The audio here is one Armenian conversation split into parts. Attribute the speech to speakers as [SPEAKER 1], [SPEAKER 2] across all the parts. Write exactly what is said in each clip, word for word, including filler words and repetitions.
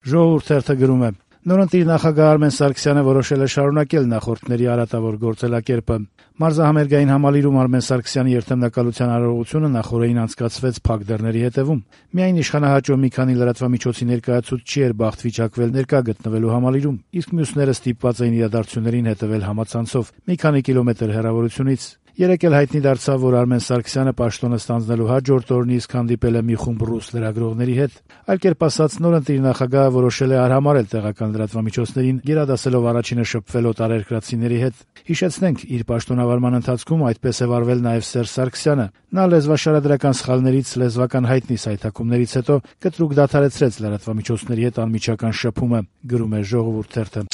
[SPEAKER 1] Ժողովուրդ թերթը գրում է. Նորընտիր նախագահ Արմեն Սարգսյանը որոշել է շարունակել նախորդների արատավոր գործելակերպը։ Մարզահամերգային համալիրում Արմեն Սարգսյանի երթեմնակալության արարողությունը նախօրեին անցկացվեց փակ դռների հետևում։ Միայն իշխանահաճո մի քանի լրատվամիջոցի ներկայացուցիչ էր բախտ վիճակվել ներկա գտնվելու համալիրում, իսկ մյուսները ստիպված էին իրադարձություններին հետևել համացանցով մի քանի կիլոմետր հեռավորությունից։ Երեկ էլ հայտնի դարձավ, որ Արմեն Սարգսյանը պաշտոնը ստանձնելու հաջորդ օրն իսկ հանդիպել է մի խումբ ռուս լրագրողների հետ։ Այլ կերպ ասած, նորընտիր նախագահը որոշել է արհամարել տեղական լրատվամիջոցներին, գերադասելով առաջինը շփվել օտարերկրացիների հետ։ Հիշեցնենք, իր պաշտոնավարման ընթացքում այդպես է վարվել նաև Սերժ Սարգսյանը։ Նա լեզվաշարադրական սխալներից, լեզվական հայտնի սայթաքումներից հետո կտրուկ դադարեցրեց լրատվամիջոցների հետ անմիջական շփումը, գրում է Ժողովուրդ թերթը։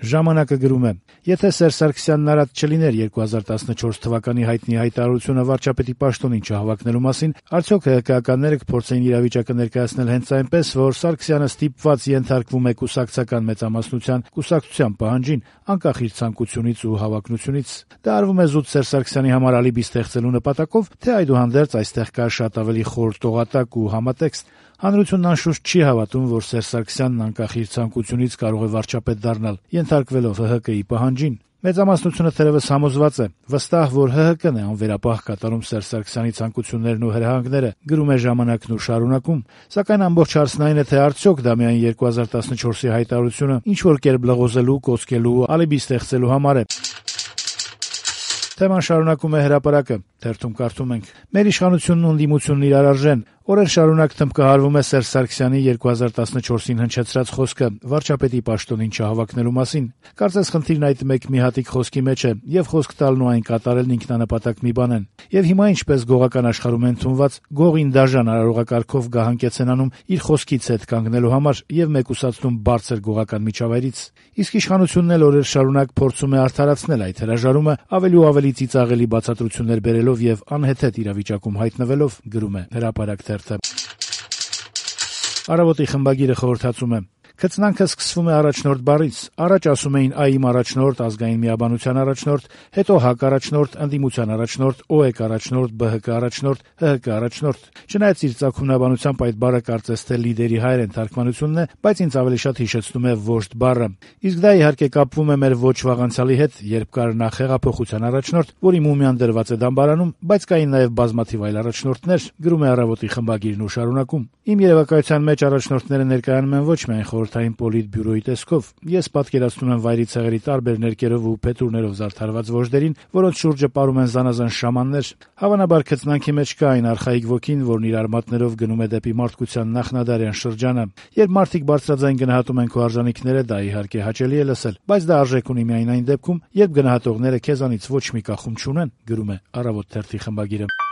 [SPEAKER 1] Ժամանակը գրում է. Եթե Սերժ Սարգսյանն արատ չլիներ երկու հազար տասնչորս թվականի հայտնի հայտարարությունը վարչապետի պաշտոնին չհավաքնելու մասին, արդյոք ՀՀԿ-ականները կփորձեին իրավիճակը ներկայացնել հենց այնպես, որ Սարգսյանը ստիպված ենթարկվում է կուսակցական մեծամասնության կուսակցության պահանջին, անկախ իր ցանկությունից ու հավակնությունից։ Դա արվում է զուտ Սերժ Սարգսյանի համար ալիբի ստեղծելու նպատակով, թե այդուհանդերձ այստեղ կա շատ ավելի խոր տողատակ ու համատեքստ։ Հանրությունն անշուշտ չի հավատում, որ Սերժ Սարգսյանն անկախ իր ցանկությունից կարող է վարչապետ դառնալ, ենթարկվելով ՀՀԿ-ի պահանջին։ Մեծամասնությունը թերևս համոզված է, վստահ, որ ՀՀԿ-ն է անվերապահ կատարում Սերժ Սարգսյանի ցանկություններն ու հրահանգները, գրում է Ժամանակն ու շարունակում։ Սակայն ամբողջ հարցն այն է, թե արդյոք դա միայն երկու հազար տասնչորսի հայտարարությունը ինչ-որ կերպ լղոզելու, կոծկելու, ալիբի ստեղծելու համար է։ Թեման շարունակում է Հրապարակը, թերթում կարդում ենք. Մեր իշխանությունն ու ընդդիմությունն իրար արժեն։ Օրեր շարունակ թմբկահարվում է Սերժ Սարգսյանի երկու հազար տասնչորսին հնչեցրած խոսքը վարչապետի պաշտոնին չհավաքնելու մասին։ Կարծես խնդիրն այդ մեկ մի հատիկ խոսքի մեջ է, եւ խոսք տալն ու այն կատարելն ինքնանպատակ մի բան են։ Եվ հիմա ինչպես գողական աշխարհում են ընդունված, գողին դաժան արարողակարգով գահանկեց են անում իր խոսքից հետ կանգնելու համար եւ մեկուսացնում բարձր գողական միջավայրից։ Իսկ իշխանությունն էլ օրեր շարունակ փորձում է արդարացնել այդ հրաժարումը, ավելի ու ավելի ծիծաղելի բացատրություններ բերելով եւ անհեթեթ իրավիճակում հայտնվելով, գրում է Հրապարակ թերթը։ Առավոտի խմբագիրը խորհրդածում է. Քծնանքը սկսվում է առաջնորդ բառից։ Առաջ ասում էին ԱԻՄ առաջնորդ, ազգային միաբանության առաջնորդ, հետո ՀԱԿ առաջնորդ, ընդդիմության առաջնորդ, ՕԵԿ առաջնորդ, ԲՀԿ առաջնորդ, ՀՀԿ առաջնորդ։ Չնայած իր ծագումնաբանությամբ այդ բառը կարծես թե լիդերի հայերեն թարգմանությունն է, բայց ինձ ավելի շատ հիշեցնում է վոժդ բառը։ Իսկ դա իհարկե կապվում է մեր ոչ վաղ անցյալի հետ, երբ կար նախ հեղափոխության առաջնորդ, որի մումիան դրված է դամբարանում, բայց կային նաև բազմաթիվ այլ առաջնորդներ, գրում է Առավոտի խմբագիրն ու շարունակում։ Իմ երևակայության մեջ առաջնորդները ներկայանում են ոչ միայն խորհրդային պոլիտբյուրոյի տեսքով։ Ես պատկերացնում եմ վայրի ցեղերի տարբեր ներկերով ու փետուրներով զարդարված վոժդերին, որոնց շուրջը պարում են զանազան շամաններ։ Հավանաբար քծնանքի մեջ կա այն արխայիկ ոգին, որն իր արմատներով գնում է դեպի մարդկության նախնադարյան շրջանը։ Երբ մարդիկ բարձրաձայն գնահատում են քո արժանինքները, դա իհարկե հաճելի է լսել, բայց դա արժեք ունի միայն այն դեպքում, երբ գնահատողները քեզանից ոչ մի կախում չունեն, գրում է Առավոտ թերթի խմբագիրը։